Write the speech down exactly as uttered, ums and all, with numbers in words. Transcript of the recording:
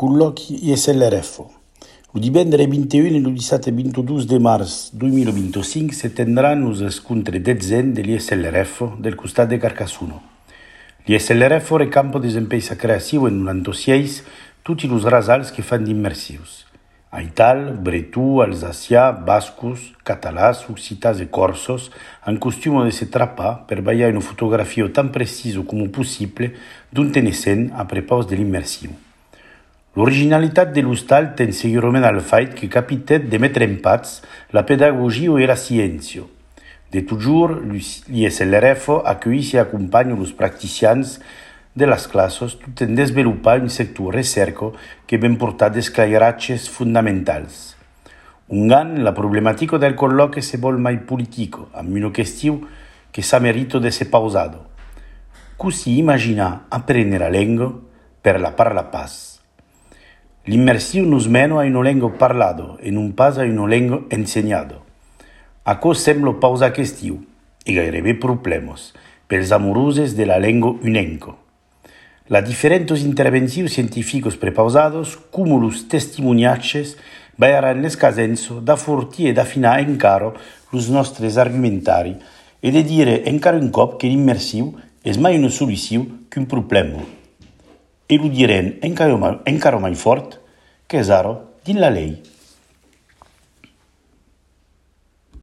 colloqui I S L R F O. Lo divendere ventiuno e lo dissabte ventidue de març duemilaventicinc se tendran los scontri dezen de l'I S L R F O del costat de Carcassuno. L'I S L R F O recampa desempensa creatiu en noranta-sei tutti los rasals que fan d'immersius. Aital, bretù, alsacià, bascos, catalàs, occitàs e corsos en costume de se trapar per ballar una fotografia tan precisa com possible d'un tenessent a prepaus de l'immersiu. L'originalitat de l'hostal ten segurament al fait que capitet de mettre en pats la pedagogia e la ciència. De toujours, l'I S L R F O accueille e acompanya los practicians de les classes tot en desenvolupar un sector recerca que ben portat d'esclairatges fundamentals. Ungant, la problemàtica del colloqui se vol mai politico, amb una qüestió que s'ha merito de ser pausado. Così imagina apprendere la lingua per la parla pas. L'immersiu nos mena a una lingua parlada e non pas a una lingua insegnada. Acò sembla pausa qüestió e gairebé problemes pels amorosos de la lingua unenca. La diferentes intervencions científicos prepausados, come los testimoniatges, vairan l'escasenzo da fortir e d'affinar encara los nostres argumentari e de dire encara un cop que l'immersiu és mai una solució que un problema. E lo diren encara mai, encara mai fort que és ara dins la llei.